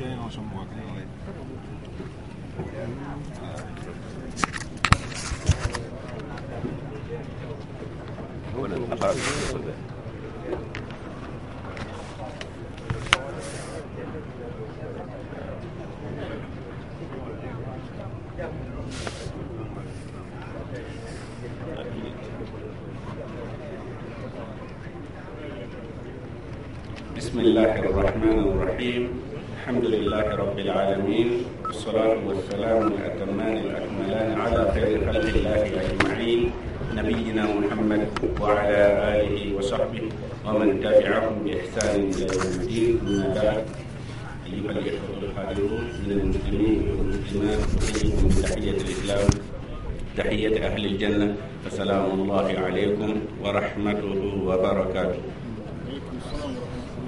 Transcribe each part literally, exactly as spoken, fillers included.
بسم الله الرحمن الرحيم الحمد لله رب العالمين والصلاة والسلام الأتمان الأكملان على خير خلق الله أجمعين نبينا محمد وعلى آله وصحبه ومن تبعهم بإحسان إلى يوم الدين. أما بعد، أيها الإخوة الحاضرون من المسلمين والمسلمات، أحييكم بتحية الإسلام، تحية أهل الجنة، فسلام الله عليكم ورحمته وبركاته.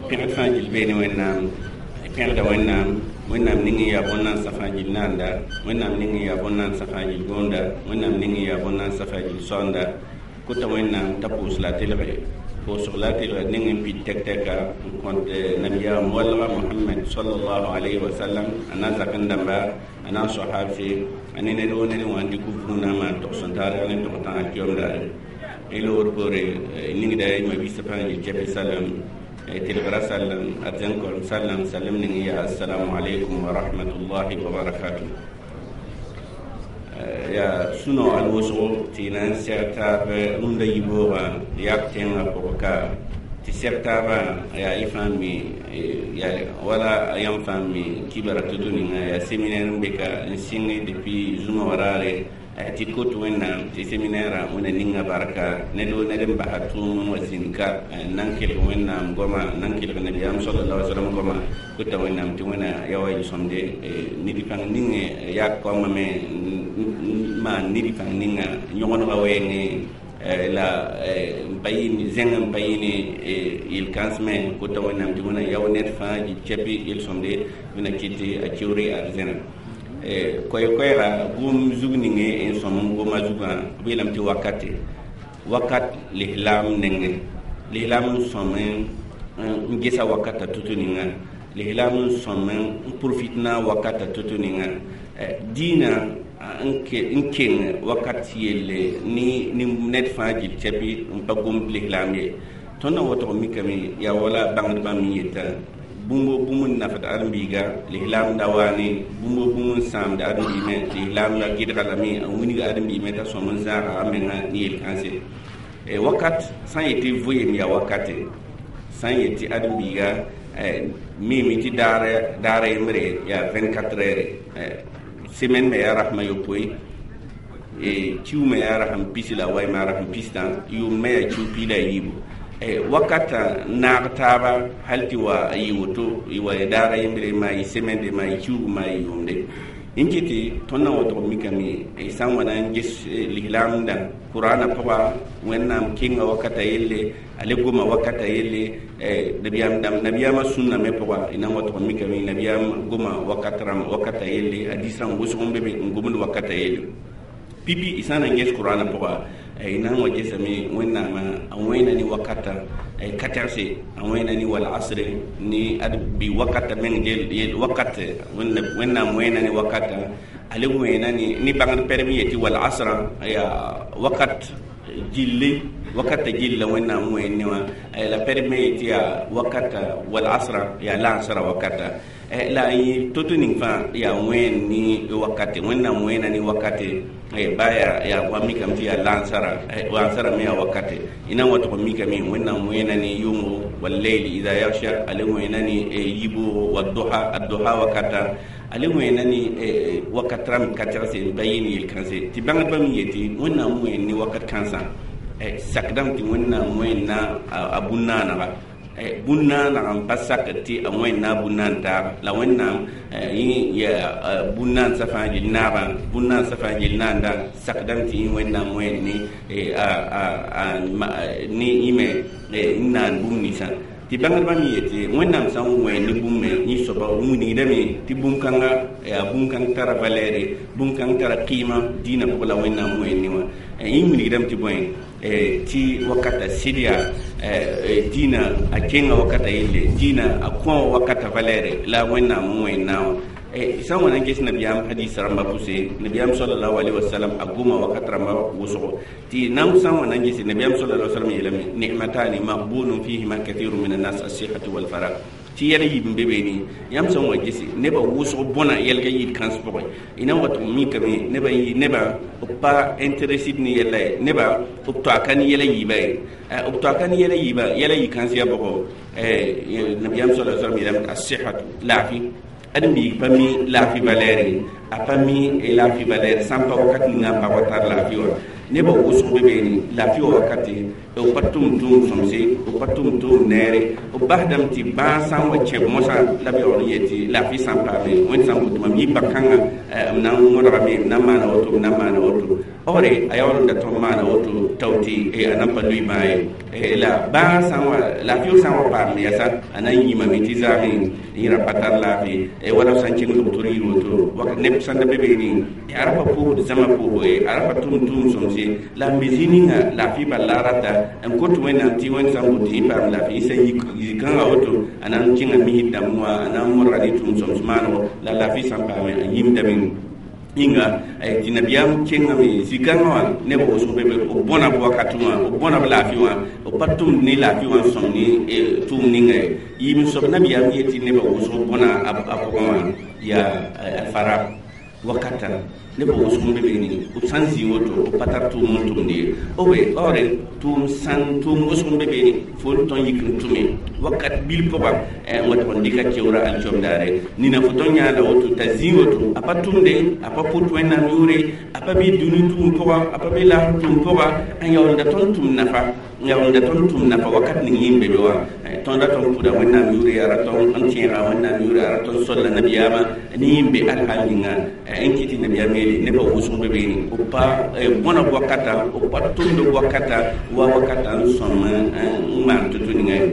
Pẽgd fãa gil beene Wẽnnaam, pẽgda Wẽnnaam, Wẽnnaam ning n yaa bõn-naansa fãa gil naanda, Wẽnnaam ning n yaa bõn-naansa fãa gil goonda, Wẽnnaam ning n yaa bõn-naansa fãa gil soanda. Kota Wẽnnaam t'a pʋʋs la a telge, pʋʋsg la a telg ning n pid tɛk-tɛka n kõt nabiyaam walga Mohamɛd sallallahu alayhi wa sallam, a na zak n dãmba, a na n sao habse, a ne ned woo ned wã n dɩk vũunã n maan tog sẽn taar ne tog tãag kiom daare. Y loogr poore ningda y mabisa fãa gil cɛpɩ salam telgra sallam arzen kolm sallam sallam ning ya assalamu alaikum wa rahmatullahi wa barakatuh. Ya suno al wosgo tɩ na n sɛg taab rũndã yiboogã yak tẽngã pʋgẽ ka tɩ sɛg taabã yaa y fãa mi ya wala yãmb fãa mi kibra to-to ninga yaa séminaire n be ka n sɩng depuis zũma wã raare tɩ kot Wẽnnaam tɩ séminaire wẽna ninga barka ned woo ned n basa tʋʋm n wa zĩnd ka n na n kelg Wẽnnaam goama, n na n kelg nabiyaam sallallahu alaihi wasallam goama. Kota Wẽnnaam tɩ Wẽna ya wa yel-sõmde ned pãng ning yak koamã me n maan ned pãng ninga yõgenega wɛɛngẽ la n pa yɩ zẽng n pa yɩ ne yel-kãnsmẽ. Kota Wẽnnaam tɩ Wẽna yao ned fãa gil cɛpɩ yel-sõmde Wẽna kɩt a kiuure arzẽna. Koɛɛ-koɛɛga gʋʋm zug ninge n sõm n goma zugã b yeelame tɩ wakate wakat lislaam nengẽ, lislaam n sõm n gesa wakata to-to ninga, lislaam n sõm n profitna wakata to-to ninga, dĩinã n keng wakat yelle ne ned fãa gil cɛpɩ n pa gomd lislaam ye. Tõnd na wotg mikame yaa wala bãngdbã me yeta bũmb bũmb n nafd ãdem-biiga lislaam da waane, bũmb bũmb n sãamd ãdem-biimẽ lislaam la gɩdga lame n wilg ãdem-biimẽ t'a sõm n zãaga a menga ne yel-kãnse. Wakat sã n yetɩ vɩɩm yaa wakate, sã n yetɩ ãdem-biiga miime tɩ daar yembre yaa vingt-quatre heures, semaine me yaa rasmã yopoe, kiu me yaa rasm pis la waɩ me yaa rasm pistã, yʋʋm me yaa kiu piig la a yiibu. Wakata naag taaba hal tɩ wa a yɩ woto y wa daara yembre maa yɩ semaine maa yɩ kiuug maa yɩ yʋʋmde. N kɩtɩ tõnd na wotg mikame sã n wa na n ges lislaamdã Kʋraanã pʋga, Wẽnnaam kenga wakata yelle, a le goma wakata yelle, nabiyaam dãmb nabiyaamã sũnna me pʋga y na n watg mikame nabiyaam goma wakat rãmb wakata yelle, a diis rãmb wʋsg n be be n gomd wakata yelle. Pipi y sã n na n ges Kʋraanã pʋga y na n wa gesame Wẽnnaamã a wẽena ne wakata ka tɛgse, a wẽena ne wal asre ne ad bɩ wakata meng yel wakat Wẽnnaam wẽena ne wakata, a le wẽena ne ne bãngd pɛrem yetɩ wal asrã yaa wakat gilli, wakata gilla Wẽnnaam wẽen ne wã, la pɛrem me yetɩ yaa wakata wal asrã yaa lansara wakata la y to-to ning fãa yaa wẽen ne wakate, Wẽnnaam wẽena ne wakate ba yaa yaa wa mikame tɩ yaa lansara, lansara me yaa wakate. Y na n wa tʋg n mikame Wẽnnaam wẽena ne yʋngo wallayli ida yagsha, a le wẽena ne yiboogo wadduha adduha wakata, a le wẽena ne wakat rãmb ka tɛgse n pa yɩ ne yel-kãnse. Tɩ bãngdbã me yetɩ Wẽnnaam wẽen ne wakat kãnsã sakdame tɩ Wẽnnaam wẽenna a bũn-naanega, bũn-naaneg n pa sak tɩ a wẽnna a bũn-naan taaba, la Wẽnnaam yẽ yaa bũn-naansã fãa gil naabã, bũn-naansã fãa gil naanda, sakdame tɩ yẽ Wẽnnaam wẽen ne ne yẽ me n naan bũmb ninsã. Tɩ bãngdbã me yetɩ Wẽnnaam sã n wẽen ne bũmb me yẽ soaba wilgdame tɩ bũmb-kãnga yaa bũmb-kãng tara valɛɛre, bũmb-kãng tara kɩɩma dĩinã pʋgẽ la Wẽnnaam wẽen ne wã. Yẽ wilgdame tɩ bõe tɩ wakata sɩd yaa dĩinã a kenga wakata yelle, dĩinã a kõ wakata valɛɛre la Wẽnnaam n wẽen naawã. Sã n wa na n ges nabiyaam hadis rãmbã pʋse, nabiyaam sallallahu alaihi wasallam a goma wakat rãmbã wʋsgo tɩ nan sã n wa na n gese nabiyaam sallallahu alaihi wasallam yeelame ni'matani maghbunun fihima kathirun min annas as-sihhatu wal faragh. Tɩ yɛl yiib n be beene yãmb sã n wa gese nebã wʋsg bõna yɛlga yid kãns pʋgẽ y na n wa tʋg mikame nebã nebã b pa intéressé ne yɛla ye, nebã b toaka ne yɛla yiibã ye, b toaka ne yɛla yiibã yɛla yɩ kãns yaa bʋgo. Nabiyaam sallallahu alaihi wasallam yeelame as-sihhatu laafi. Ãdem-biig pa mi laafɩ valɛɛre, a pa mi laafɩ valɛɛre sã n pa wakat ninga n pa wa tar laafɩ wã. Nebã wʋsg be beene laafɩ wã wakate b pa tʋm tʋʋm sõmse, b pa tʋm tʋʋm neere, b basdame tɩ bãag sã n wa kẽb mosã la b yaool n yet tɩ laafɩ sã n paame Wẽnd sã n bʋ tɩ mam yɩ bã-kãngã m na n wõdgame, m na n maana woto, m na n maana woto ɔgre a yaool n da tõnd maana woto tao tɩ a nan pa lʋɩ bãag ye. La bãag sã n wa laafɩ sã n wa paam yɛsa a na n yĩmame tɩ zaame yẽ ra pa tar laafɩ wala b sã n kẽng doctor yir woto wakat neb sãn da be beene a ra pa pʋʋsd zãma pʋʋsgo ye, a ra pa tʋm tʋʋm sõmse la n be zĩ ninga laafɩ bal la a rata n kot Wẽnnaam tɩ Wẽnd sã n bʋ tɩ yẽ paam laafɩ sã n yik kãngã woto a na n kẽnga misd dãmb wã, a na n modga ne tʋʋm sõms maanego la laafɩ sã n paame a yĩmdame yĩnga. Tɩ nabiyaam kẽngame zĩ-kãngã wã nebã wʋsg be be b bõna b wakat wã, b bõna b laafɩ wã, b pa tʋmd ne laafɩ wã n sõm ne tʋʋm ninga ye. Yiib n soab nabiyaam yetɩ nebã wʋsg bõna a pʋgẽ wã yaa alfara wakata nebã wʋsg n be beene b sã n zĩ woto b pa tar tʋʋm n tʋmd ye obe baoore tʋʋm sãn tʋʋm wʋsg n be beene fo n tõn yik n tʋme wakat bil pʋga n wa tɩg n dɩka keoora alkiom daare nina fo tõn yãada woto t'a zĩ woto a pa tʋmde, a pa pʋt Wẽnnaam yʋʋre, a pa bɩ dũni tʋʋm pʋga, a pa bɩ laafɩ tʋʋm pʋga n yaool da tõnd tʋm nafa, n yaool da tõnd tʋm nafa wakat ning yẽ n be be wã. Tõnd ra tõnd pʋda Wẽnnaam yʋʋre, yaa ra tõnd n tẽega Wẽnnaam yʋʋre, yaa ra tõnd solla nabiyaamã ne yẽ n be alhal ninga n kɩ tɩ nabiyaam yeele nebã wʋsg be beene b pa bõna wakata, b pa tʋmd wakata wa wakata n sõm n maan to-to ninga ye.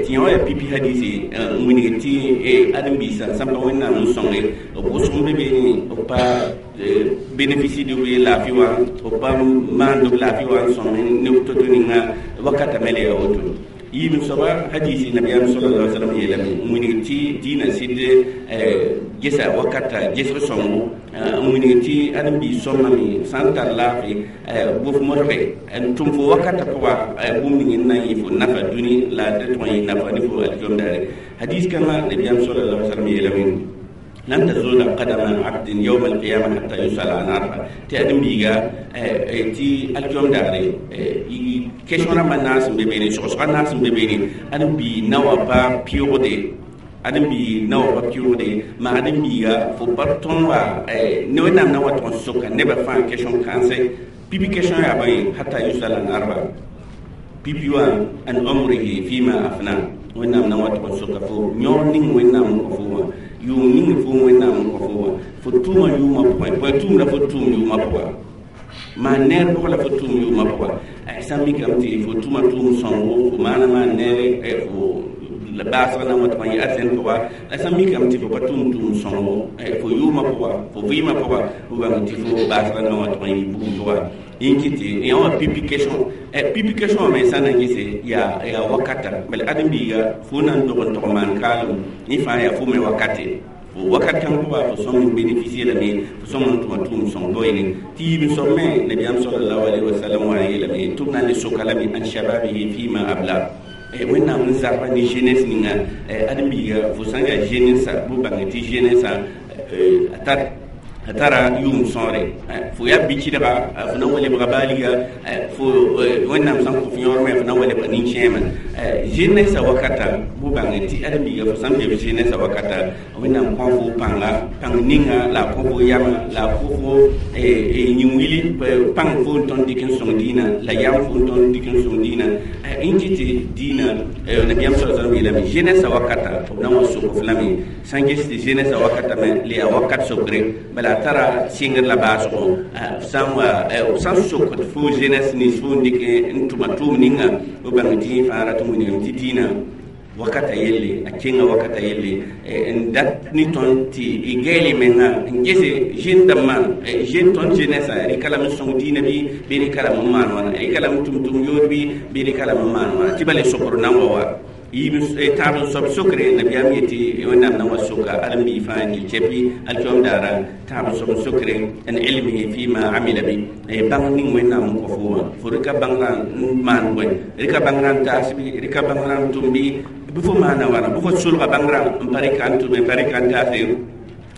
Tɩ yã wã yaa pipi hadisi n wilg tɩ ãdem-biisã sã n pa Wẽnnaam n sõnge b wʋsg n be beene b pa bénéficie d b laafɩ wã, b pa maand b laafɩ wã n sõm ne to-to ninga wakata me la yaa woto. Yiib n soaba hadisi nabiyaam sallallahu alaihi wasallam yeelame n wilg tɩ dĩinã sɩd gesa wakata gesg sõngo, n wilg tɩ ãdem-biis sõmame sã n tar laafɩ bʋf modge n tʋm fo wakata pʋga bũmb ning n na n yɩ fo nafa dũni la d tõg n yɩ nafa ne fo alkiom daare. Hadis kãngã nabiyaam sallallahu alaihi wasallam yeelame lan tazula qadama abdin yawm alqiyama hatta yusala an arba tɩ ãdem-biiga tɩ alkiom daare question rãmbã naas n be beene, sogsga naas n be beene, ãdem-bii na wa pa pɩʋgde, ãdem-bii na wa pa pɩʋgde ma ãdem-biiga fo pa tõn wa ne Wẽnnaam na wa tʋg n soka nebã fãa question kãnsɛ pipi question yaa bõe hatta yusala an arba pipi wã an umrihi fima afna. Wẽnnaam na wa tʋg n soka fo yõor ning Wẽnnaam n kõ fo wã, yʋʋm ning fo Wẽnnaam n kõ fo wã, fo tʋʋma yʋʋmã pʋgẽ, bõe tʋʋmda fo tʋʋm yʋʋmã pʋga, maan neer pʋgã la fo tʋʋm yʋʋmã pʋga. Sã n mikame tɩ fo tʋma tʋʋm sõngo fo maana maan neere fo la baasg na n wa tɩg n yɩ arzɛn pʋga, la sã n mikame tɩ fo pa tʋm tʋʋm sõngo fo yʋʋmã pʋga, fo vɩɩmã pʋga, fo bãng tɩ fo baasg na n wa tɩg n yɩ bugum pʋga. Yẽ kɩ tɩ yã wã pipi question, pipi question me sã n na n gese yaa yaa wakata bala ãdem-biiga fo na n dog n tog maan kaalem yẽ fãa yaa fo me wakate wakat kãng pʋga fo sõm n bénéficier lame fo sõm n tʋma tʋʋm sõng doeene. Tɩ yiib n soab me nabiyaam sallallahu alaihi wasallam wã n yeelame tɩ b na n le soka lame an shababihi fima abla. Wẽnnaam n zarba ne jeunesse ninga ãdem-biiga fo sã n yaa jeunesse bʋ bãng tɩ jeunesse a tar a tara yʋʋm sõore fo yaa bi-kɩdga fo na n wa lebga baaliga fo Wẽnnaam sã n kõ f yõor me fo na n wa lebga nin-kẽemã jeunesse wakata bʋ bãng tɩ ãdem-biiga fo sã n be jeunesse wakata Wẽnnaam kõ fo pãnga pãng ninga la a kõ fo yamã la a kõ fo yĩn-wili pãng fo n tõnd dɩk n sõng dĩinã la yam fo n tõnd dɩk n sõng dĩinã n kɩ tɩ dĩinã nabiyaam sa sallam yeelame jeunesse wakata b na n wa sok f lame sã n ges tɩ jeunesse wakata me la yaa wakat sokre bala a tara sɩngr la baasgo sã n wa sã n sokd fo jeunesse nins fo n dɩk n tʋma tʋʋm ninga b bãng tɩ yẽ fãa rat n wilgame tɩ dĩinã Wakata yelle a kẽnga wakata yelle n dat ne tõnd tɩ y gɛɛl y menga n gese jeune dãmbã, jeune tõnd jeunesse rɩka lame n sõng diinã bɩ bɩ rɩka lame n maan wãna, rɩka lame n tʋm tʋm yood bɩ bɩ rɩka lame n maan wãna tɩ bala sokr nan wa wa yiib tãab n soab sokre. Nabiyaam yetɩ Wẽnnaam na wa soka ãdem-biig fãa gil cɛpɩ alkiom daara. Tãab n soab n sokre n ilmihi fima amila bi bãng ning Wẽnnaam n kõ fo wã, fo rɩka bãngrã n maan bõe, rɩka bãngrã n taas bɩ rɩka bãngrã n tʋm bɩ bɩ fo maana wãna, bɩ fo solga bãngrã n pa rɩka n tʋme, pa rɩka n taase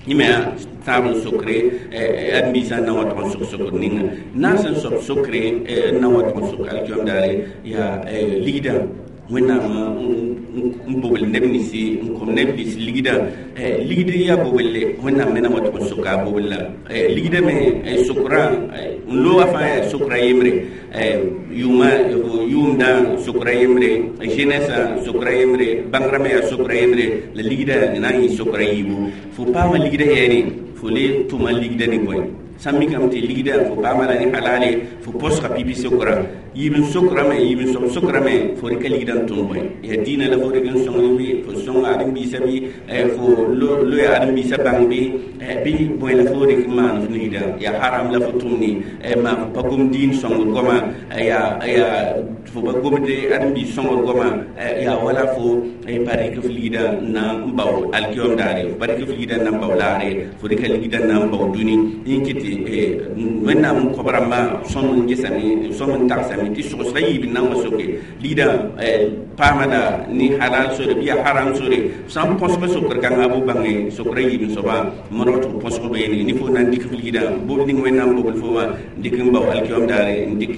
yẽ tãab n sokre. Ãdem-biisã n na wa tʋg n sok sokr ninga naas n soab sokre n na wa tʋg n sok alkiom daare yaa ligdã. Wẽnnaam n bobl neb ninsi n kom neb nins ligdã, ligd yaa boblle. Wẽnnaam me na wa tʋg n soka a boblla ligdã me sokrã n looga fãa yaa sokra yembre, yʋʋma yʋʋmdã sokra yembre, jeunesse sokra yembre, bãngrã me yaa sokra yembre, la ligdã na n yɩ sokra yiibu. Fo paama ligdã yɛɛne, fo le tʋma ligdã ne bõe sãn mikame tɩ ligdã fo paama la ne halale, fo posga pipi sokra yiib n sokrame, yiib n soab sokrame, fo rɩka ligdã n tʋm bõe, yaa dĩinã la fo rɩk n sõng bɩ fo sõng ãdem-biisã bɩ fo loe ãdem-biisã bãng bɩ bɩ bõe la fo rɩk n maan f ligdã, yaa haram la fo tʋmne maa fo pa gom dĩin sõngr goama, yaa yaa fo pa gomde ãdem-biis sõngr goama, yaa wala fo pa rɩk f ligdã n na n bao alkiom daare, fo pa rɩk f ligdã n na n bao laare, fo rɩka ligdã n na n bao dũni yẽ kɩt tɩ Wẽnnaam n kõb rãmbã sõm n gesame, sõm n tagsame tɩ sogsga yiib n na n wa soke ligdã paama la ne halal sore bɩ yaa haram sore. Sã n põsga sokr kãnga bʋ bãnge sokra yiib n soaba modg tɩ f põsg beene ne fo na n dɩk f ligdã bobl ning Wẽnnaam bobl fo wã n dɩk n bao alkiom daare, n dɩk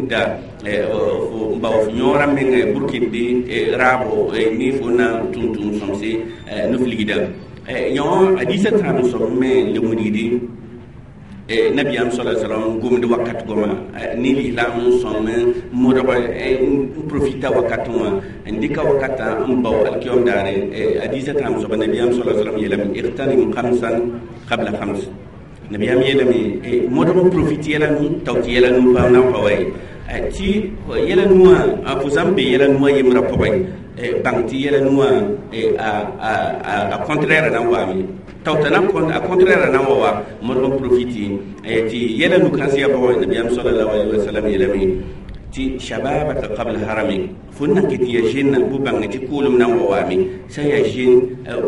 n da n bao f yõorã meng burkĩndi raabo ne fo na n tʋm tʋʋm sõmse ne f ligdã yõ. Hadiisã tãab n soab me le wilgdi nabiyaam sala salam gomd wakat goma ne lislaam n sõm modg n profita wakat wã n dɩka wakatã n bao alkiom daare. Hadiisã tãab soaba nabiyaam sala salam yeelame: اغتنم خمسا قبل خمس. Nabiyaam yeelame modg n profit yɛla nu tao tɩ yɛla nu pa na n pa wa ye tɩ yɛla nuwã fo sã n be yɛla nuwã yembrã pʋgẽ, bãng tɩ yɛla nuwã a contraire na n waame tao t'a na a contraire na n wa wa modg n profiti tɩ yɛla nu kãns yaa bʋgẽ. Nabiyaam salallahu alaihi wasallam yeelame tɩ شبابك قبل هرمك, fo n na n ket n yaa zẽnna bʋ bãng tɩ kʋʋlem na n wa waame. Sã n yaa zẽn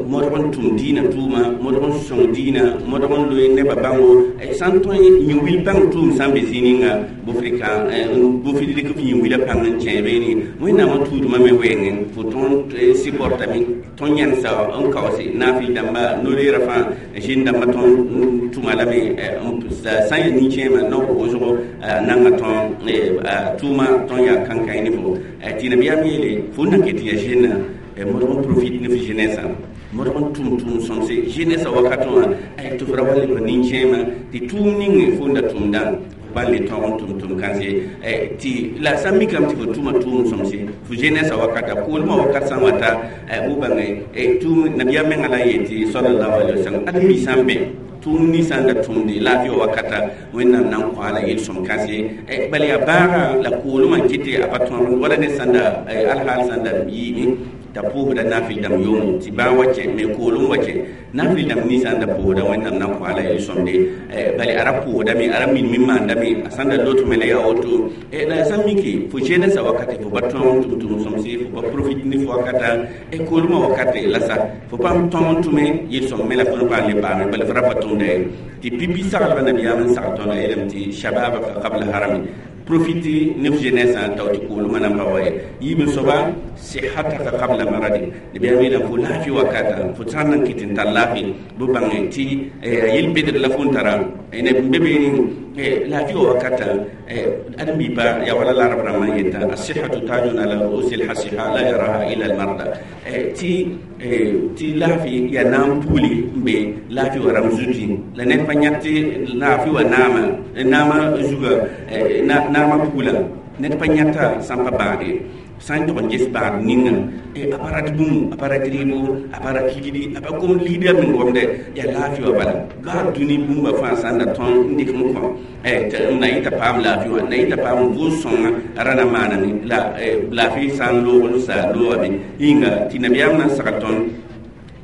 modg n tʋm dĩinã tʋʋma, modg n sõng dĩinã, modg n loe nebã bãngo, sã n tõe yĩn-wil bãng tʋʋm sã n be zĩ ninga bʋ f bʋ f rɩk f yĩn-wilã pãng n kẽ beene. Wẽnnaamã tuudmã me wɛɛngẽ fo tõnd sɩportame, tõnd yẽnsa n kaoose naafɩl dãmba no-reerã fãa zẽn dãmbã tõnd tʋma lame sã n yaa nin-kẽemã no-wʋsgo nanga tõnd tʋʋma tõnd yaa kãnkãe ne fo tɩ nabiyaam yeele fo n na ket n yaa zẽnna modg n profit ne f jeunesse, modg n tʋm tʋʋm sõmse jeunesse wakat wã tɩ f ra wa lebg nin-kẽemã tɩ tʋʋm ning fo n da tʋmdã pa le tõog n tʋm tʋm kãnse tɩ la sã n mikame tɩ fo tʋma tʋʋm sõmse fo jeunesse wakata kʋʋlmã wakat sã n wata bʋ bãnge tʋʋm. Nabiyaam menga la n yetɩ salallahu alaihi wasallam ãdem-biig sã n bẽ tʋʋm ninsã n da tʋmde laafɩ wakata, Wẽnnaam na n kõ la yel-sõm kãse, bala yaa bãaga la koolmã n kɩtɩ a pa tõog wala ned sã n da alhaal sã n da yiime t'a pʋʋsda naafɩl dãmb yʋʋmo tɩ bãag wa kẽ me koolem wa kẽ naafɩl dãmb ninsã n da pʋʋsda, Wẽnnaam na n kõ la yel-sõmde, bala a ra pʋʋsdame, a ra minme n maandame, a sã n da lotme la yaa woto. La sã n mike fo jeunesse wakate fo pa tõog n tʋm tʋm sõmse, fo pa profit ne fo wakata koolmã wakate la sa fo paam tõog n tʋme yel-sõm me la fo n paam le paame, bala f ra pa tʋmda ye tɩ pipi saglba. Nabiyaam n sagl tõnda yeelame tɩ شبابك قبل هرمك, profiter ne f jeunesse tao tɩ koolmã nan pa wa ye. Yiib n soaba صحتك قبل مرضك, nabiyaam yeelame fo laafɩ wakata fo sã n nan kɩt n tar laafɩ bʋ bãnge tɩ yel-bedr la fo n tara neb n be beene laafɩ wa wakata ãdem-biipa yaa wala la rab rãmbã n yeta: الصحة تاج على رؤوس الأصحاء لا يراها إلا المرضى, tɩ tɩ laafɩ yaa na n pugli n be laafɩ wa rãmb zuti la ned pa yãk tɩ laafɩ wa naama naamã zuga naamã pugla ned pa yãta sã n pa bãage. Sã n tog n ges bãad ninga a pa rat bũmb, a pa rat rɩɩbo, a pa rat ligdi, a pa gom ligdã meng gomdɛ yaa laafɩ wã. Bala baa dũni bũmba fãa sã n da tõnd n dɩk n kõ n na yɩta paam laafɩ wã, na yɩta paam vʋʋs-sõngã ra na maaname la laafɩ sã n loog n sa loogame yĩnga tɩ nabiyaam na n sagl tõnd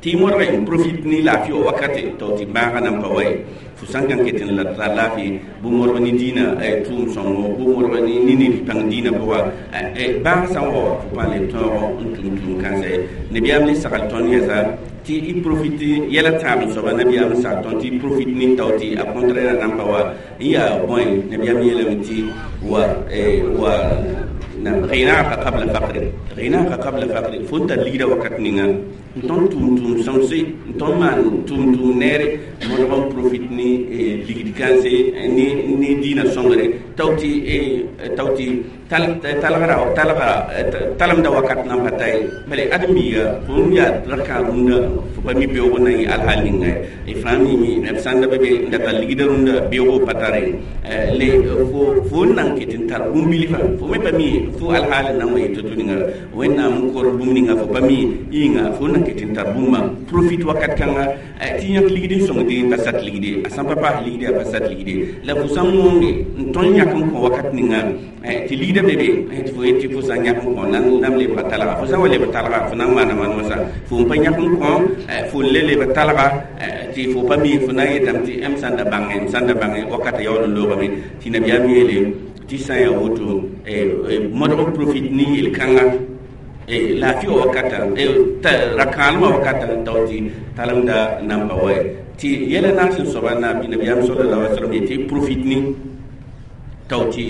tɩ modg n profit ne laafɩ wã wakate tao tɩ bãagã nan pa wa ye. Fo sã n kãn ket n la tar laafɩ bʋ modg ne dĩinã tʋʋm sõngo, bʋ modg ne ned pãng dĩinã pʋga, bãag sã n wa fo pa le tõog n tũm tũum kãnsa ye. Nabiyaam le sagl tõnd yɛsa tɩ y profite yɛla tãab n soaba. Nabiyaam sagl tõnd tɩ y profite ne tao tɩ a contraire nan pa wa n yaa bõe. Nabiyaam yeelame tɩ wa wa غناك قبل فقر، غناك قبل فقر. Fo n tar ligda wakat ninga n tõnd tʋʋm tʋʋm sõmse, n tõnd maan tʋʋm tʋʋm neere, modg n profit ne ligd kãnse ne dĩinã sõngre tao tɩ tao tɩ talgra talga talemda wakat nan pa ta ye. Bala ãdem-biiga fo n yaa rakã rũndã fo pa mi beoog n na yɩ alhal ninga y fãa mimi b sãn da be be n da tar ligda rũndã beoogo pa tare le fo fo n nan ket n tar bũmb bilfã fo me pa mi fo alhaal n nan wa yɩ to-to ninga Wẽnnaam n kor bũmb ninga fo pa mi yĩnga fo n nan ket n tar bũmba profit wakat kãnga tɩ yãk ligd n sõngde pa sat ligde, a sã n pa paas ligde a pa sat ligde la fo sã n wõnge n tõnd yãk n kõ wakat ninga tɩ ligda be be tɩ fo yet tɩ fo sã n yãk n kõ nam lebga talga, fo sã n wa lebg talga fo na n maana maan wãsa fo n pa yãk n kõ fo n le lebg talga tɩ fo pa mi fo na n yetame tɩ m sã n da bãngẽ, m sã n da bãngẽ wakata yaool n loogame. Tɩ nabiyaam yeele tɩ sã n yaa woto modg n profit ne yel-kãnga laafɩ wã wakata rakãalmã wakata tao tɩ talemda nan pa wa ye. Tɩ yɛla naas n soaba na nabiyaam sallallahu alaihi wasallam yetɩ profit ne tao tɩ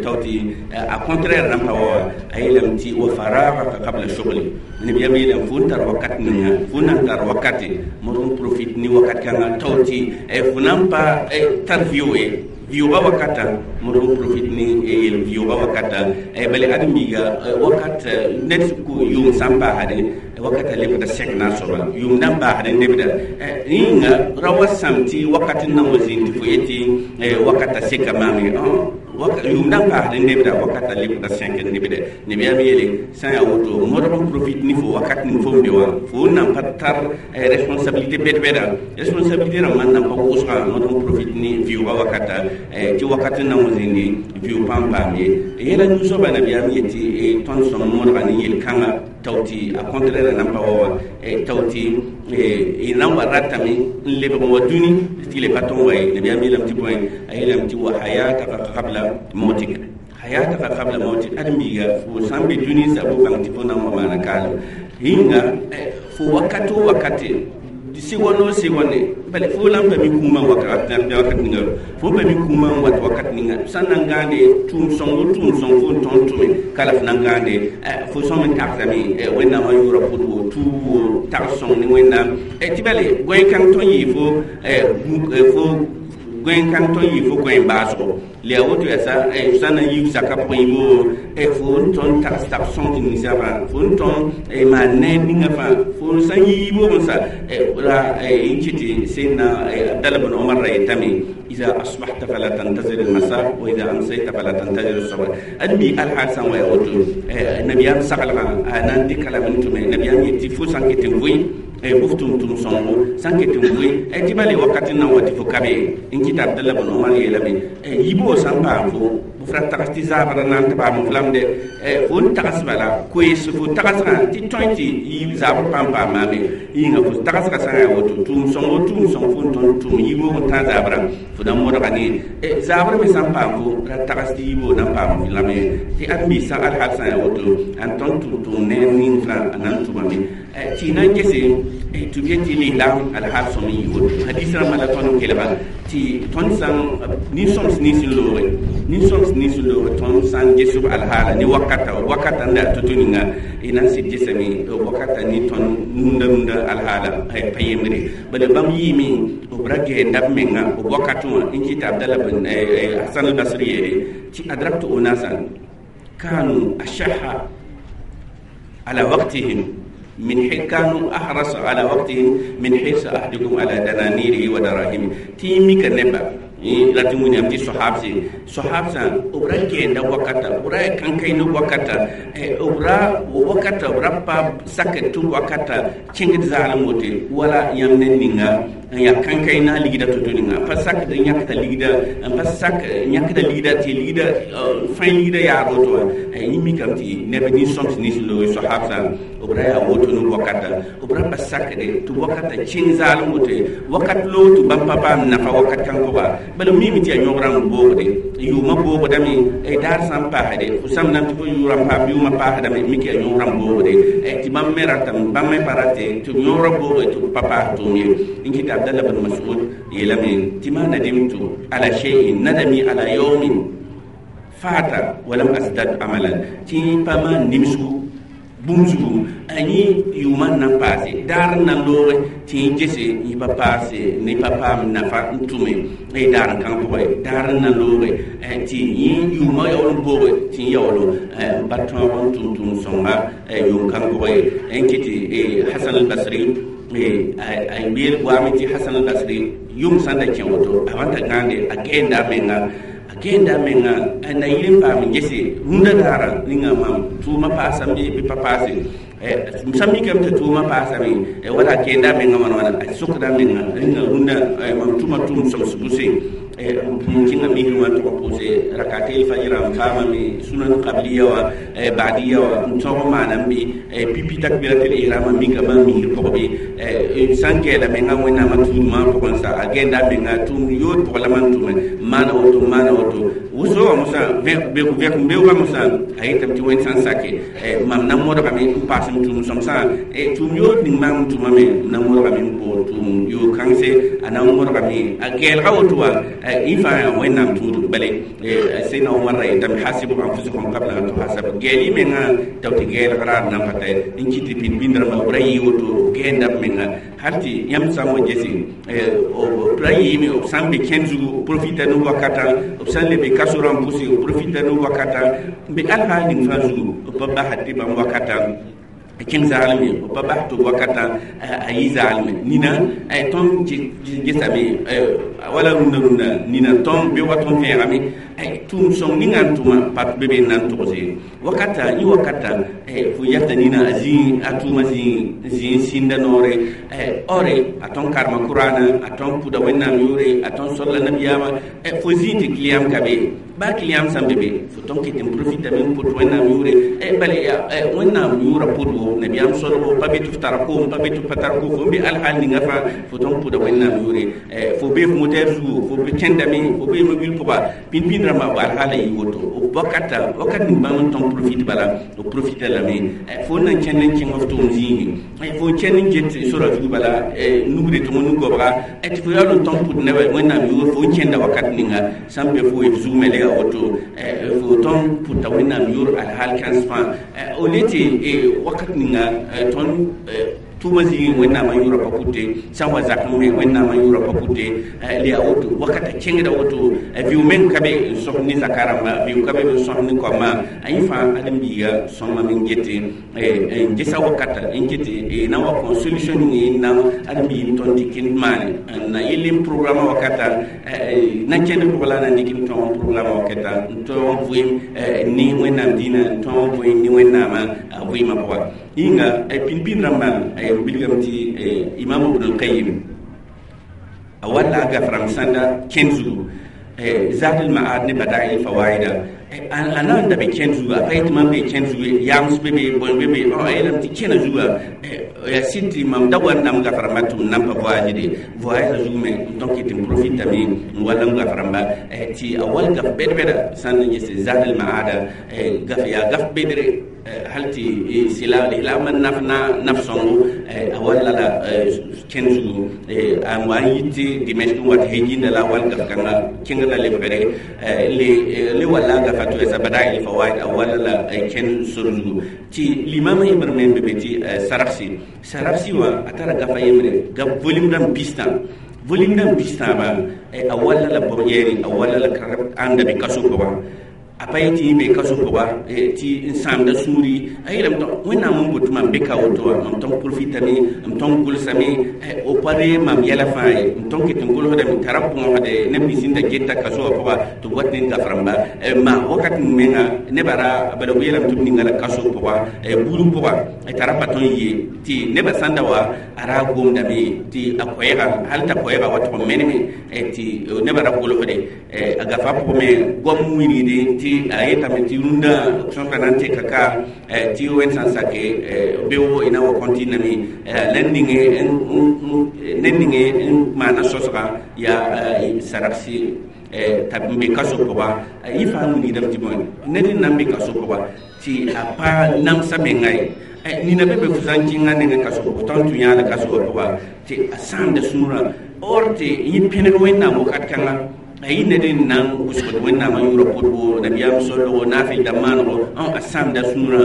tao tɩ a contraire nan pa wa. A yeelame tɩ wa faragaka qabla shughli. Nabiyaam yeelame fo n tar wakat ninga fo nan tar wakate modg n profit ne wakat kãnga tao tɩ fo nan pa tar vɩʋ ye, vɩʋʋga wakata modg n profit ne yel vɩʋʋga wakata. Bala ãdem-biiga wakat ned yʋʋm sã n baasde wakata lebda sẽk na soaba yʋʋm nan baasd n lebda yĩnga ra wa sãm tɩ wakat n nan wa zĩnd tɩ fo yetɩ wakata seka maam ye yʋʋm nan baasd n lebda wakata lebda sẽk n lebda. Nabiyaam yeele sã n yaa woto modg n profit ne fo wakat ning fo n be wã fo n nan pa tar responsabilité bɛd-bɛda responsabilité rãmbã n nan pa wʋsga modg n profit ne vɩʋʋga wakata tɩ wakat n nan wa zĩndi vɩʋ pãn paam ye. Yɛla nu-soaba nabiyaam yetɩ tõnd sõm modga ne yel-kãnga tao tɩ a contraire nan pa wa wa tao tɩ y nan wa ratame n lebg n wa dũni tɩ le pa tõn wa ye. Nabiyaam yeelame tɩ bõe? A yeelame tɩ wa hayataka qabla mautika, hayataka qabla mautik. Ãdem-biiga fo sã n be dũni sa fo bãng tɩ fo nan wa maana kaalem yĩnga fo wakat o wakate segon o segonde bala fo la n pa mi kũumã wakat wakat ninga fo pa mi kũumã n wat wakat ninga sã n na n gãande tʋʋm sõng o tʋʋm sõng fo n tõnd tʋme ka la fo na n gãande fo sõm n tagsame Wẽnnaamã yʋʋra pʋd wo tuub wo tags sõng ne Wẽnnaam tɩ bale goẽ-kãng tõnd yɩ fo fo goẽ-kãng tõnd yɩ fo goẽ baasgo le yaa woto yaa sã n na n yiib zaka pʋgẽ yĩmo fo n tõnd tags tags sõng tɩ ninsã fãa fo n tõnd maan neer ninga fãa fo sã n yi yiibg n sa ra n kɩ tɩ sẽnna Abdallah bn Omar ra yetame: إذا أصبحت فلا تنتظر المساء وإذا أمسيت فلا تنتظر الصباح. أدمي الحال سان ويا woto nabiyam saglgã a na n dɩka lame n tʋme nabiyam yetɩ fo sã n ket n vʋɩ bʋf tʋm-tʋm sõngo sã n ket n vʋɩ tɩ bale wakat n na n wa tɩ fo ka be n kɩta. Abdallah bn Omar yeelame yiibgo sã n paam fo f ra tags tɩ zaabra na n tɩ paam f lamde fo n tags bala koees fo tagsgã tɩ tõe tɩ yiib zaabr pãn paam maame yĩnga fo tagsgã sã n yaa woto tʋʋm sõngo tʋʋm sõng fo n tõnd tʋm yiibg n tã zaabra fo na n modga ne zaabr me sã n paam fo ra tags tɩ yiibg na n paam f lame tɩ ãdem-biis sã alhal sã n yaa woto ãn tõnd tʋm tʋm ne ning fãa a na n tʋmame tɩ na n gese tɩ b yetɩ lislaam alhaal sõm n yɩ woto hadis rãmbã la tõnd n kelga tɩ tõnd sã nin-sõms nins n looge nin-sõms nins n looge tõnd sã n ges b alhaala ne wakata wakata n da to-to ninga y na n sɩd gesame wakata ne tõnd rũndã rũndã alhaala pa yembre bala bãmb yɩɩme b ra gɛɛnda b menga b wakatẽ wã n kɩta. Abdallah bn Hasan al-Basri yeele tɩ adraktu unasan kanu ashaha ala waqtihim من حين كانوا أحرص على وقتهم من حرص أحدكم على دنانيره ودراهمه. تيمي كنبا rat n wĩnnaam tɩ soahabse soahabsã b ra gɛɛnda wakata b ra kãnkãend wakata b ra wakata b ra pa sakd tɩ wakata kẽngd zaalem wote wala yãmb ned ninga n yaa kãnkãy na ligda to-to ninga pa sakd n yãkda ligda n pa sak yãkda ligda tɩ ligda fãe ligda yaar woto wã yẽ mikame tɩ neb nin-sõms nins loog soahabsã b ra yaa woto ne wakata b ra pa sakde tɩ wakata kẽng zaalem woto wakat loog tɩ bãmb pa paam nafa wakat kãng pʋga bala mime tɩ yaa yõogrã n boogde yʋʋmã boogdame daar sã n paasde fo sãmb nan tɩ fo yʋʋrã paam yʋʋmã paasdame mik yaa yõogrã n boogde tɩ bãmb me ratame bãmb me pa rate tɩ yõogrã booge tɩ b pa paas tʋʋm ye n kɩta Abdallah bin Mas'ud yeelame tɩ ma nadimtu ala shay'in nadami ala yawmin fata walam asdad amalan tɩ pa maan nimsgu bũmb zugu a yẽ yʋʋmã n na n paase daar n na n looge tɩ yẽ gese yẽ pa paase ne pa paam nafa n tʋme daar n kãng pʋgẽ daar n na n looge tɩ yẽ yʋʋmã yaool n booge tɩ yẽ yaoolo n pa tõog n tʋm tʋʋm sõnga yʋʋm kãng pʋgẽ n kɩ tɩ Hasan al-Basri a yeel waame tɩ Hasan al-Basri yʋm sã n da kẽ woto a wãn ta gãande a gɛɛnda a menga a gɛɛnda a menga na yɩl n paam n gese rũndã daara ninga mam tʋʋmã paasame bɩ pa paase sã mikame tɩ tʋʋmã paasame wala a kẽenda a menga wãna wãna a sokda a menga rĩnga rũndã mam tʋma tʋʋm sõms bʋse n kẽnga misr wã tʋg pʋʋse rakatel fajrã n paamame sunan qabliya wã badiya wã n tõog n maana n bɩ pipi takbiratel ihrama mikame n misr pʋg bɩ sã n gɛɛla menga wẽnnaamã tuudmã pʋgẽ sa a gɛɛnda a menga tʋʋm yood pʋg la man tʋme maana woto maana woto wʋsgo wã mosã vẽk-beoogã mosã a yetame tɩ wẽnd sã n sake mam na modgame n paas m tʋʋm sõmsã tʋʋm yood ning maam n tʋmame m na modgame n boog tʋʋm yoog kãngse a na n modgame a gɛɛlga woto wã yẽ fãa yaa wẽnnaam tũudg bale sẽdna Omar ra yetame hasibu anfusakum qabla an tuhasabu gɛɛl y mengã t'a tɩ gɛɛlg raad nan pa ta n kɩt tɩ pĩnd-pĩnd rãmbã b ra yɩ woto gɛɛnda b menga hal tɩ yãmb sã n wa gese b ra yɩɩme b sã n be kẽnd zugu profita ne wakatã b sã n le be kaso rã n pʋse profita ne wakatã n be alhaal ning fãa zugu b pa basd tɩ bãmb wakatã kẽng zaalem ye b pa bas tɩ wakatã a yɩ zaalme nina tõnd gesame wala rũndã rũndã nina tõnd beoogã tõnd fẽegame tʋʋm sõng ninga n tʋma pa be be n na n togs ye wakata yẽ wakata fo yata nina a zĩig a tʋʋmã zĩig zĩig n sĩnda noore ɔre a tõnd karema kʋraana a tõnd pʋda wẽnnaam yʋʋre a tõnd solla nabiyaamã fo zĩig tɩ kiliyam ka be baa kiliyam sã n be be fo tõnd ket n profitame n pʋt wẽnnaam yʋʋre bala wẽnnaam yʋʋra pʋdgo nabiyaam solgo pa be tɩ f tara koom pa be tɩ f pa tar koom fo n be alhaal ninga fãa fo tõnd pʋda wẽnnaam yʋʋre fo bee f motɛɛr zugu fo be kẽndame fo bee mobil pʋga pĩnd-pĩnd rãmba alhaala yɩ woto wakata wakat ning bãmb n tõnd profit bala b profita lame fo n na n kẽnd n kẽng f tʋʋm zĩigi fo n kẽnd n get sora zugu bala nugre tɩ nu-gobga tɩ fo yaool n tõnd pʋd neba wẽnnaam yʋʋr fo n kẽnda wakat ninga sã n be fo f zug me yaa woto fo tõnd pʋta wẽnnaam yʋʋr alhaal kãens fãa au lieu tɩ wakat ninga tõnd tʋʋmã zĩigẽ wẽnnaamã yʋʋrã pa pʋte sã n wa zakẽ me wẽnnaamã yʋʋrã pa pʋte le yaa woto wakata kẽngda woto vɩʋ meng ka be n sõs ne zaka rãmba vɩʋ ka be n sõs ne koamã a yẽ fãa ãdem-biiga sõma me n gete n gesa wakata n kete na wa kõ solution ning n na ãdem-biig n tõnd tɩ kẽnd maane n na yell n programa wakata na kẽnd pʋgã la na dɩk n tõog n programa wakata n tõog n vɩɩm ne wẽnnaam dĩinã n tõog n vɩɩm ne wẽnnaamã vɩɩmã pʋga yĩnga pĩnd-pĩnd rãmbã b bilgame tɩ imam ibn al-qayyim a walla a gaf rãmb sãnda kẽnd zugu zad al-ma'ad ne bada'i al-fawaida a na n da be kẽnd zugu a pa yetɩ mam be kẽnd zugu yams be be bõe be be a yeelame tɩ kẽna zuga yaa sɩd tɩ mam da wa n nam gaf rãmbã tɩ m nan pa voyagede voyage zugu me n tõk tɩ n profitame n wall n gaf rãmba tɩ a wall gaf bɛd-bɛda sã n na yese zad al-ma'ada gaf yaa gaf bedre hal tɩ sɩla lislaamã naf na naf sõngo a walla la kẽnd zugu a wa n yit tɩ Dimɛsk n wat heijinda la a wall gaf kãnga kẽngr la lebgre le le walla a gafa tɩ yaa bada'i al-fawaid a walla la kẽnd sor zugu tɩ limamã yembr me n be be tɩ Sarafsi Sarafsi wã a tara gafa yembre gaf volume dãmb pistã volume dãmb pistãaba a walla la bog-yɛɛre a walla la ãnda be kaso pʋgã A pa yetɩ yẽ be kaso pʋga tɩ n sãamda sũuri a yeelame tɩ Wẽnnaam n bot mam be ka woto wã mam tõn profitame m tõn gʋlsame o pa reeg mam yɛla fãa ye m tõn ket n gʋlsdame t'a ra põosde neb nins sẽn da geta kaso wã pʋga tɩ b wat ne gaf rãmba ma wakat menga nebã ra bala b yeelame tɩ b ninga la kaso pʋga buud pʋga t'a ra pa tõn ye tɩ nebã sãn da wa a ra gomdame tɩ a koɛɛga hal t'a koɛɛga wa tʋg n meneme tɩ nebã ra gʋlsde a gafa pʋgẽ me goam wilgde tɩ a yetame tɩ rũndã sõsga na n teka ka tɩ wẽnd sã n sake beoogo ina wa kɔntiname la ninge ned ninge n maana sõsga yaa saragsi t'a n be kaso pʋga yẽ fãa wilgdame tɩ bõe ned n na n be kaso pʋga tɩ a pa namsa menga ye nina be be fo sã n kẽngã nengẽ kaso pʋgã tõnd tũ yãala kaso pʋga tɩ a sãamda sũurã or tɩ yẽ pẽneg Wẽnnaam wakat kãnga a yɩ ned n na n wʋsgd Wẽnnaamã yʋʋra pʋdbo nabiyaam solgo naafɩl dãmb maanego a sãamda sũurã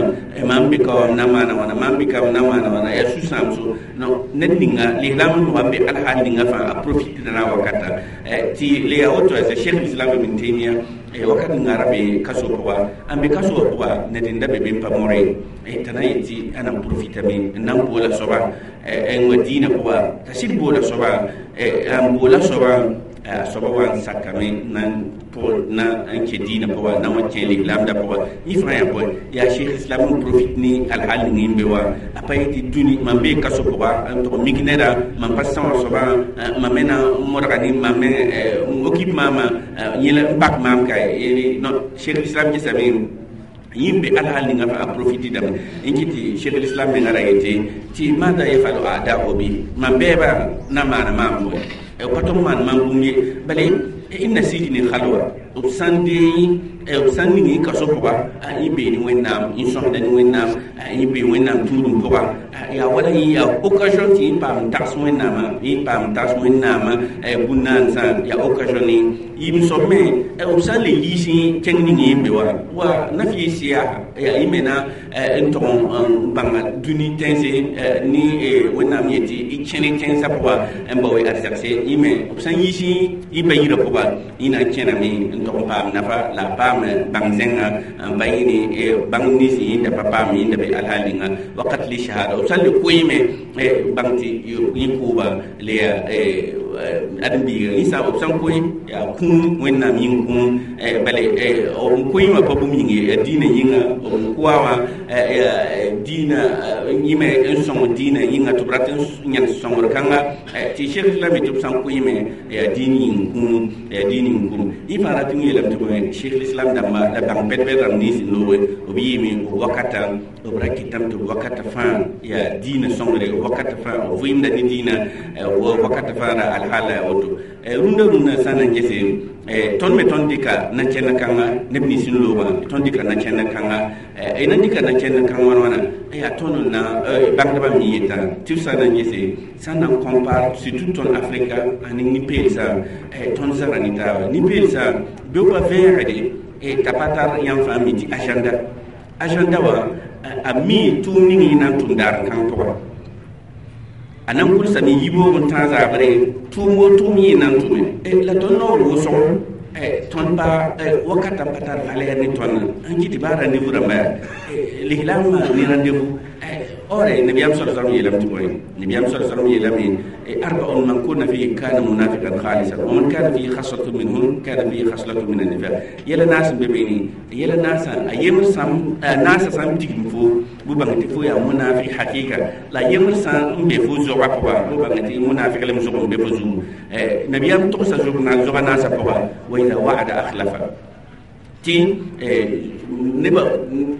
mam be ka wã m na maana wãna mam be ka m na maana wãna yaa sũ-sãamso ned ninga lislaam n nogã n be alhaal ninga fãa a profite na wakata tɩ le yaa woto yaa Cheikh l'Islam Ibn Taymiya wakat ninga ra be kaso pʋga n be kaso wã pʋga ned n da be be n pa more t'a na yetɩ a na n profitame n na n boola soaba n wa diinã pʋga t'a sɩd boola soaba n boola soaba soaba wa n sakame na n pʋg na n kẽ diinã pʋga na wa kẽ lislaamdã pʋga yẽ fãa yaa bõe yaa Cheikh Islam n profite ne alhaal ning n be wa a pa yetɩ dũni mam bee kaso pʋga n tʋg mik neda mam pa sã wã soabã mam me na n modga ne mam me n occupe maama yẽla n bak maam ka non Cheikh Islam gesame yẽ be alhaal ninga fa a profite dame n kɩ tɩ Cheikh l'Islam menga ra yetɩ tɩ maada yefalo ada obi mam bɛɛba na maana maam bõe pa tʋg maan mam bũmb ye bala inna sijni khalwa b sãn dee b sãn ning y kaso pʋga yẽ bee ne Wẽnnaam yẽ sõsda ne Wẽnnaam yẽ bee Wẽnnaam tũudum pʋga yaa wala yẽ yaa occasion tɩ yẽ paam tags Wẽnnaamã yẽ paam tags Wẽnnaamã bũn-naansã yaa occasion ne yɩm soab me b sã n le yiis kẽng ning yẽ be wa wa nafi siya yaa yẽ me na n tʋg n bãnga dũni tẽnse ne Wẽnnaam yetɩ y kẽne kẽnsã pʋga n bao y arzɛgse yẽ me b sã n yiis y pa yirã pʋga yẽ na n kẽname n tʋg n paam nafa la a paam bãng zẽnga n pa yẽ ne bãng nins yẽnda pa paam yẽnda be alhaal ninga wakat li shahada b sã n le koeeme bãng tɩ yẽ kʋʋba le yaa ãdem-biiga yẽ sã b sã n koe yaa kũum Wẽnnaam yĩng kũum bale b koe wã pa bũmb yĩng ye yaa diinã yĩnga b koa wã diinã yĩme n sõng diinã yĩnga tɩ b rat n yãg sõngr kãnga tɩ Cheikh Islam tɩ b sã n koeeme yaa diin yĩng kũum yaa diin yĩng kũum yẽ fãa rat n yeelame tɩ bõe Cheikh l'Islam dãmba la bãng pɛd-pɛd rãmb nins n looge b yɩɩme wakata b ra kɩtame tɩ wakata fãa yaa diinã sõngre wakata fãa b vɩɩmda ne diinã wakata fãa ra alhaala yaa woto rũndã rũndã sã n na n gese tõnd me tõnd dɩka na-kẽnd kãnga neb nins n loogã tõnd dɩka na-kẽnd kãnga y na dɩka na-kẽnd kãng wãn wãna yaa tõnd n na bãngdbã me yetã tɩ b sã n na n gese sã n na n compare surtout tõnd Afrika ane nin-peelsã tõnd zara ne taaba nin-peelsã beoogã vẽegde t'a pa tar yãmb fãa mi tɩ agenda agenda wã a mi tʋʋm ning yẽ na n tʋm daar kãng pʋga a na n gʋlsame yiboog n tãag zaabre tʋʋm o tʋʋm yẽ na n tʋme la tõnd noor wʋsgo tõnd pa wakata pa tar valeur ne tõnd n kɩ tɩ baa rendez-vous rãmba yaa lislaamã ne rendez-vous or nabiyaam sala sallam yeelame tɩ bõe nabiyaam sala sallam yeelame أربع من كن فيه كان منافقا خالصا ومن كان فيه خصلة منهن كان فيه خصلة من النفاق yɛla naas n be beene yɛla naasã a yembr sãn naasã sã n tigim fo bʋ bãng tɩ fo yaa munafik hakɩka la yembr sã n be fo zogã pʋga bʋ bãng tɩ munafik lem zog n be fo zugu nabiyaam togsa zog na zogã naasã pʋga wa ida wa'ada akhlafa tɩ nebã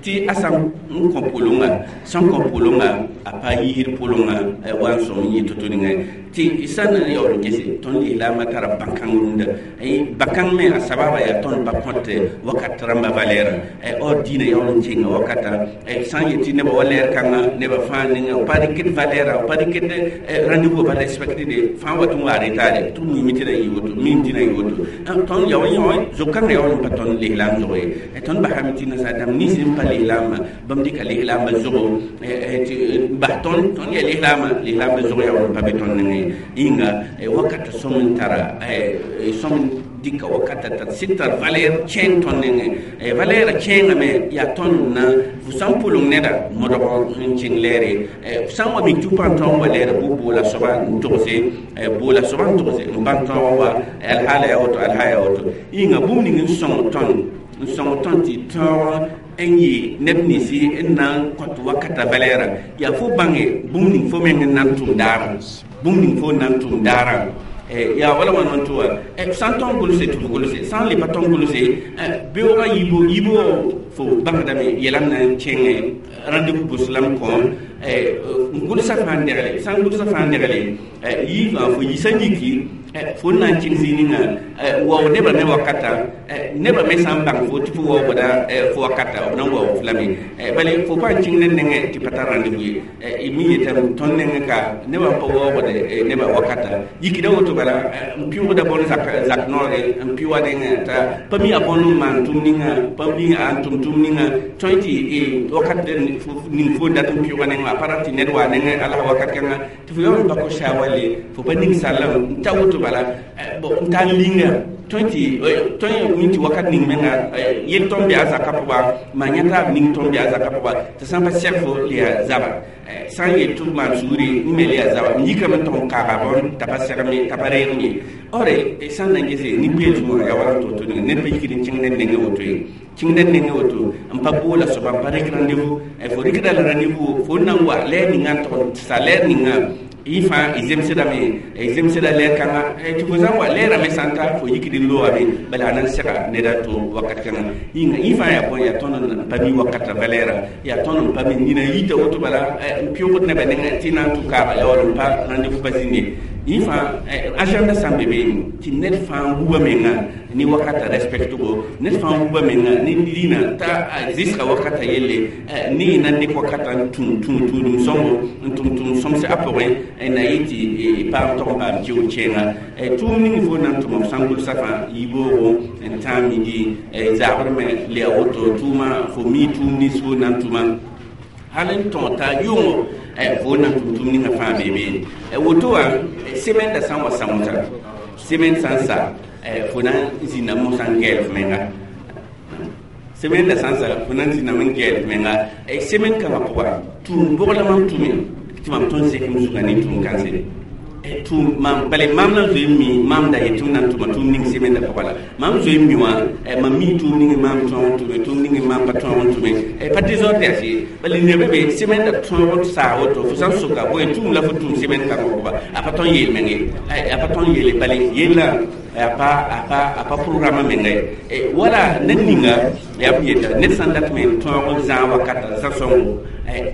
tɩ a sã n kõ pʋlʋnga sẽn kõ pʋlʋnga a pa yiisd pʋlʋnga wa n sõm n yɩ to-to ninga tɩ sã n yaool n gese tõnd lislaamã tara bãn-kãng rũndã bãn-kãng me a sababa yaa tõnd pa kõt wakat rãmba valɛɛrã or diinã yaool n kenga wakata sã n yetɩ nebã wa lɛɛr kãnga nebã fãa ninga b pa dɩkd valɛɛra b pa dɩkd rendez-vous pa respecte de fãa wat n waa retard tɩ b mime tɩ na yɩ woto mim tɩ na yɩ woto tõnd yao yõ zog-kãngã yaool n pa tõnd lislaam zog ye tõnd basame tɩ tɩ nasaar dãmb nins n pa lislaambã bãmb dɩka lislaambã zogo tɩ n bas tõnd tõnd yaa lislaambã lislaambã zog yaa wall pa be tõnd nengẽ yĩnga wakat sõm n tara sõm dɩka wakata t'a sɩd tar valeur kẽeng tõnd nengẽ valeur kẽengame yaa tõnd na fo sã n pʋleng neda modg n kẽng lɛɛre f sã n wa mik tɩ pa n tõog wa lɛɛre bʋ boola soaba n togse boola soaba n togse n bãn tõog wa alhaala yaa woto alha yaa woto yĩnga bũmb ning n sõng tõnd n sõng tõnd tɩ tõog n yɩ neb ninsi n na n kõt wakata valɛɛrã yaa fo bãnge bũmb ning fo meng n na n tʋm daarã bũmb ning fo n na n tʋm daarã yaa wala wãn tɩ wa sã n tõog gʋlse tɩ f gʋlse sã n le pa tõog gʋlse beoogã yibo yibo fo bãngdame yɛla n na n kẽngẽ rendez-vous bʋslam kõ n gʋlsa fãa n degle sã n gʋlsa fãa n degle yɩ fãa fo yisa yiki fo n na n kẽng zĩig ninga wao nebã me wakata nebã me sã n bãng fo tɩ fo waoogda fo wakata b na n waoog f lame bale fo pa n kẽng ned nengẽ tɩ pa tar rendez-vous ye mi yetame tõnd nengẽ ka nebã n pa waoogde nebã wakata yikda woto bala n pɩʋgda bõn zak zak noore n pɩ wa nengẽ t'a pa mi a bõn n maan tʋm ninga pa mi a n tʋm tʋm ninga tõe tɩ wakat ning fo dat n pɩʋga nengẽ a pa rat tɩ ned waa nengẽ ala wakat kãnga tɩ fo yaool n pa kos saawale fo pa ning sallame n ta woto bala n tar linga tõe tɩ tõe mi tɩ wakat ning menga yel tõnd bɩ a zakã pʋga maa yã taab ning tõnd bɩ a zakã pʋga tɩ sã n pa sɛg fo le yaa zaba sã n yel tɩ f maan sugri n me le yaa zaba n yikame n tʋg n kaaga bõn t'a pa segme t'a pa reegm ye ore sã n na n gese nin-peelsmã yaa wala n to-to ninga ned pa yikd n kẽng ned nengẽ woto ye kẽng ned nengẽ woto n pa boola soaba n pa rɩk rendez-vous fo rɩkda la rendez-vous fo n na n wa lɛɛr ninga n tʋg sa lɛɛr ninga yẽ fãa y zemsdame y zemsda lɛɛr kãnga tɩ fo sã n wa lɛɛrame sã n ta fo yikd n loogame bala a na n sega ned a to wakat kãnga yĩnga yẽ fãa yaa bõe yaa tõnd n pa mi wakata valɛɛra yaa tõnd n pa mi nina yita woto bala n pɩʋgd nebã nengẽ tɩ na n tʋ kaaga yaa wall n pa rendez-vous pa zĩnde yẽ fãa agenda sã n be beene tɩ ned fãa wuba menga ni wakata respectgo ned fãa wuba menga ne liina t'a zɩsga wakata yelle ne y na n dɩk wakata n tũ tũ tũudum sõngo n tʋm tʋm sõmse a pʋgẽ na yɩ tɩ paam tog n paam kɩʋ kẽenga tʋʋm ning fo na n tʋma f sã n gʋlsa fãa yibooogo n tãag midi zaabr me le ya woto tʋʋma fo mi tʋʋm nins fo na n tʋma hal n tõog t'a yʋngo fo na n tʋm tʋm ninga fãa bee beene woto wã semaine da sã n wa sãmsa semaine sã n sa fo na n zĩnda mosã n gɛɛl f menga semaine da sã n sa fo na n zĩndame n gɛɛl f menga semaine kãngã pʋga tʋʋm bʋg la mam tʋme tɩ mam tõnd zekem zugã ne tʋʋm kãnse tʋʋm mam bale maam na n zoe n mi maam da yet tɩ m na n tʋma tʋʋm ning semaine da pʋga la maam zoe n mi wã mam mi tʋʋm ning maam tõog n tʋme tʋʋm ning maam pa tõog n tʋme pa désordre yaa sɩ bale nebã be semaine da tõog saa woto fo sã n soka bõe tʋʋm la fo tʋʋm semaine kãngã pʋga a pa tõn yeel meng ye a pa tõn yeele bale yella a pa a pa a pa programme menga ye wala ned ninga yaa b yeta ned sã n dat me n tõog n zãag wakata zã-sõngo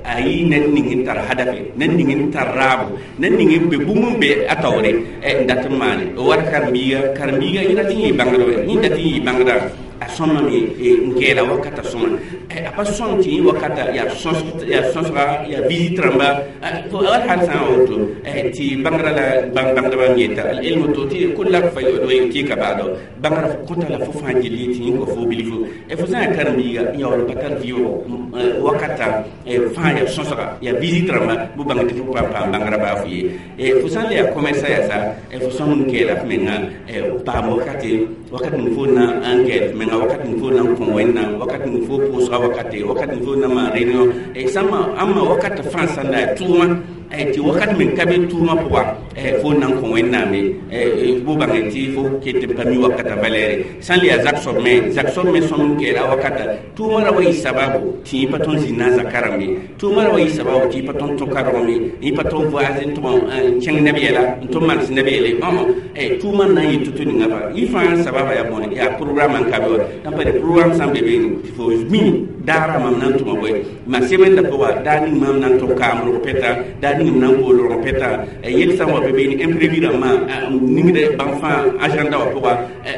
a yɩ ned ning n tar hadafe ned ning n tar raabo ned ning n be bũmb n be a taoore n dat n maane wat karen-biiga karen-biiga yẽ dat n yɩ bãngd wɛ yẽ dat n yɩ bãngda a sõmame n gɛɛla wakata sõma a pa sõm tɩ yẽ wakata yaa sõsga yaa visite rãmba wal hal sã n woto tɩ bãngrã la bãng bãngdbã n yeta al-ilmu tɩ kullak fa tɩ ka baado bãngrã fo kõta la fo fãa gil tɩ yẽ kõ fo bilfo fo sã n yaa karen-biiga n yaool n pa tar vɩʋʋgo wakata fãa yaa sõsga yaa visite rãmba bʋ bãng tɩ fo pa paam bãngrã baa fo ye fo sã n le yaa commerçant yaa sa fo sõm n gɛɛla f menga paam wakate wakat ning fo na n gɛɛl f menga wakat ning fo na n kõ wẽnnaam wakat ning fo pʋʋsga wakate wakat ning fo na maan réunion sãmba ãmba wakata fãa sã n da yaa tʋʋma tɩ wakat meng ka be tʋʋmã pʋga fo na n kõ wẽnnaame bʋ bãnge tɩ fo ket n pa mi wakata valɛɛre sã n le yaa zak soab me zak soab me sõm n gɛɛla wakata tʋʋmã ra wa yɩ sababu tɩ yẽ pa tõnd zĩnd na a zaka rãmbe tʋʋmã ra wa yɩ sababu tɩ yẽ pa tõnd tõ kargme yẽ pa tõnd voyage n tʋg n kẽng neb yɛla n tʋ mals neb yɛle tʋʋmã n na n yɩ to-to ninga fa yẽ fãa sababa yaa bõne yaa programme n ka be wa tã pa programme sã n be beene tɩ fo mi Daara mam na n tʋma bõe ma semaine pʋga daar ning mam na n tʋg kaam rog pɛta, daar ning m na n bool rog pɛta, yel sã n wa be beene imprévu rãmbã n ningd bãmb fãa agenda wã pʋga.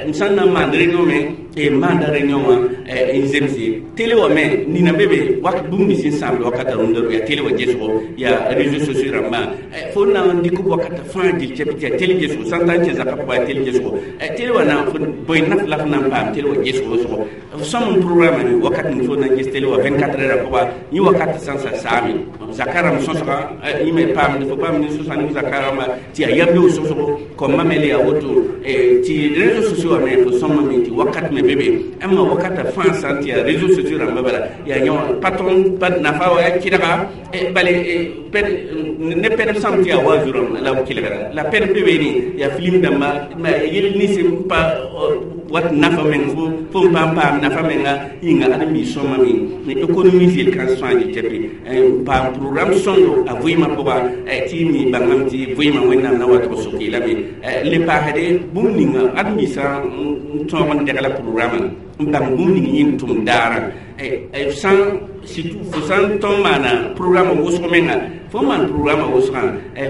M sã n na n maan réunion me, n maanda réunion wã n zemse télé wã me nina be be wak bũmb nins n sãamd wakata rũndã yaa télé wã gesgo, yaa réseaux sociaux rãmbã. Fo na n dɩk wakata fãa gil tɩ yaa télé gesgo, sã n ta n kẽ zakã pʋga yaa télé gesgo, télé wã na bõe naf la f na n paam télé wã gesgo wʋsgo. F sõm n programme me wakat ning fo na n ges télé wã vingt-quatre heures pʋga, yẽ wakat sã n sa saame zaka rãmb sõsga yẽ me paamd fo paam ne sõsga ne zaka rãmba tɩ yaa yam beoog sõsgo kõmba me le yaa woto tɩ réseaux sociaux wã me fo sõmame tɩ wakat me be be ãmba wakata fãa sã n tɩ yaa réseaux sociaux rãmba bala yaa yõ pa tõnd pa nafa wa yaa kɩdga bale ne pɛd sãm tɩ yaa wa zurã la b kelgra la pɛd be beene yaa film dãmba yel nins n pa wat nafa meng fo fo n paam paam nafa menga yĩnga ãdem-biis sõmame économie yel kãens fãa yetɛpe n paam programme sõndo a vɩɩmã pʋga tɩ y mi bãngame tɩ vɩɩmã Wẽnnaam na wa tʋg soke lame le paasde bũmb ninga ãdem-biisã n tõog n degla programme n bãng bũmb ning yẽnd tʋm daarã sã surtout fo sã n tõnd maana programme wʋsg menga, fo maan programme wʋsgã,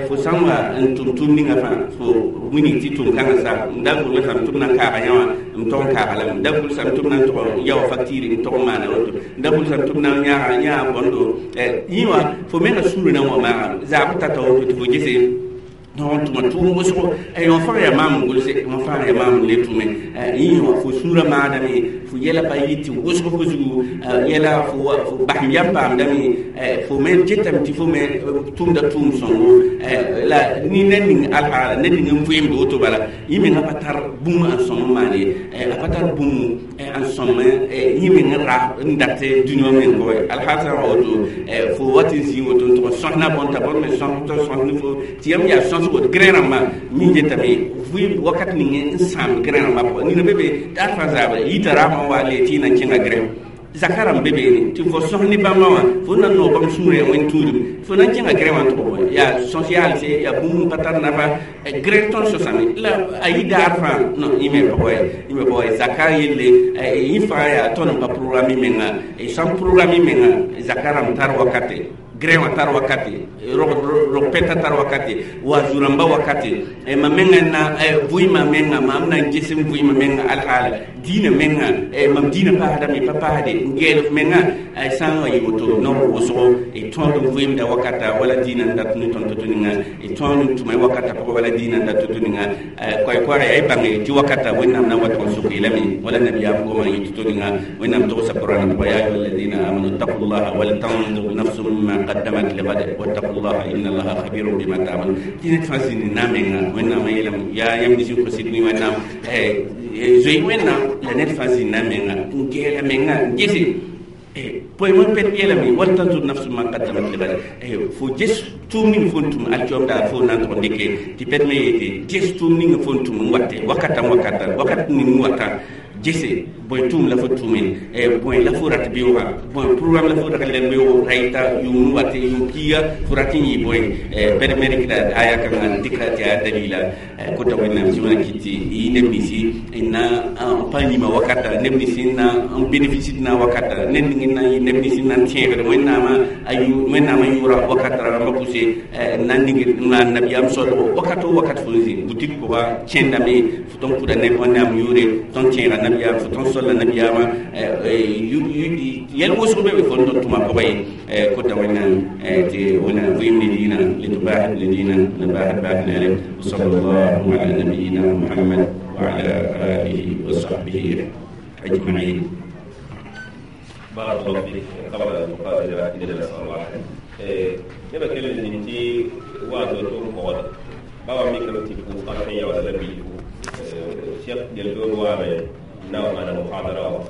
fo sã n wa n tʋm tʋʋm ninga fãa fo wilg tɩ tʋm kãngã sa n da gʋlsame tɩ b na n kaaga yã wã n tog n kaaga lame, n da gʋlsame tɩ b na n tog n yaoa facture n tog n maana woto, n da gʋlsame tɩ b na n yãaga yãa bõndo yẽ wã fo menga sũurã na n wa maaga zaab tata woto tɩ fo gese tõog n tʋma tʋʋm wʋsgo wã fãa yaa maam n gʋlse, wã fãa yaa maam n le tʋme yẽ wã fo sũurã maadame fo yɛla pa yɩ tɩ wʋsg fo zugu yɛla fo basem yam paamdame fo me getame tɩ fo me tʋmda tʋʋm sõngo la ni ned ning alhaala ned ning n vɩɩmd woto bala yẽ mengã pa tar bũmb n sõm n maan ye, a pa tar bũmb n sõm yẽ meng ra n dat dũni wã meng pʋgẽ alhaal sã n wa woto fo wat n zĩig woto n tʋg n sõsna bõn t'a bõn me sõs tɩ sõs ne fo tɩ yam yaa sõsgo grẽ rãmbã mi getame vɩ wakat ning n sãamd grẽ rãmbã pʋgã nina be be daar fãa zaabra yita raamã wa le tɩ y na n kẽnga grẽ zaka rãmb be beene tɩ fo sõs ne bãmba wã fo na n noog bãmb sũurã wẽn tũudum fo na n kẽnga grẽ wã n tʋg bõe yaa sõs yaalse yaa bũmb n pa tar nafa grẽ tõnd sõsame la a yɩ daar fãa non yẽ me pʋgẽ yẽ me pʋgẽ zaka yelle yẽ fãa yaa tõnd n pa programme menga sã n programme menga zaka rãmb tar wakate, grẽ wã tar wakate, rog pɛtã tar wakate, wa zu-rãmbã wakate, mam menga na vɩɩmã menga mam na n ges n vɩɩmã menga alhaala diinã menga mam diinã paasdame pa paasde n geel f menga sã n wa yɩ woto naoor wʋsgo d tõod n vɩɩmda wakata wala diinã n dat ne tõnd to-to ninga d tõod n tʋma wakata pʋgã wala diinã n dat to-to ninga koɛ-koɛɛga yaa y bãnge tɩ wakata Wẽnnaam na n wa tʋg n sok yeelame wala nabiyaam goma n yɩ to-to ninga Wẽnnaam togsa Qur'an pʋga: ya ayuha alladina amanu ittaqullaha wal tanzur nafsum ma qaddamat ligad wattaqullaha inna Allaha khabirun bima ta'malun. Tɩ ned fãa zĩnd na menga Wẽnnaam yeelame yaa yãmb nins n kosd ne Wẽnnaam zoe Wẽnnaam la ned fãa zĩnda menga n geela menga n gese poe pɛd yeelame wal tanzur nafsum ma qaddamat ligad fo ges tʋʋm ning fo n tʋm alkiom daar fo na n tʋg n dɩke tɩ pɛd me yeete ges tʋʋm ning fo n tʋm n wate wakata wakata wakat ning wata gese bõe tʋʋm la fo tʋme, bõe la fo rat beoogã, bõe programme la fo rag la beoog raɩta yʋʋm wate yʋʋm piiga fo rat n yɩ bõe pɛd me rɩkda aya kãngã n dɩkra tɩ yaa dalila kota Wẽnnaam tɩ wẽna kɩt tɩ yɩ neb ninsi n na n pa yĩma wakata neb ninsi n na n bénéficie na wakata ned ning n na n yɩ neb ninsi n na n tẽegd Wẽnnaamã Wẽnnaamã yʋʋra wakata rãmbã pʋse n na n ning n maan nabiyaam soalgo wakat o wakat fo n zĩ boutique pʋga kẽndame fo tõnd kuda neb Wẽnnaam yʋʋre tõnd tẽega nabiyaam fo tõnd solla nabiyaamã yɛl wʋsg be be fo n tõnd tʋma pʋgã ye kota Wẽnnaam tɩ Wẽnnaam vɩɩm ne diinã le tɩ baasd le diinã la baasd baasd neere. وصلى الله على نبينا محمد وعلى آله وصحبه أجمعين. بارك الله فيك. قبل أن نقابل إلى الصباح نبى كلمة نتي وازو توم قول بابا ميكرو تيكو قطعية ولا بيكو شيخ جلدور وامي نوع من المحاضرة.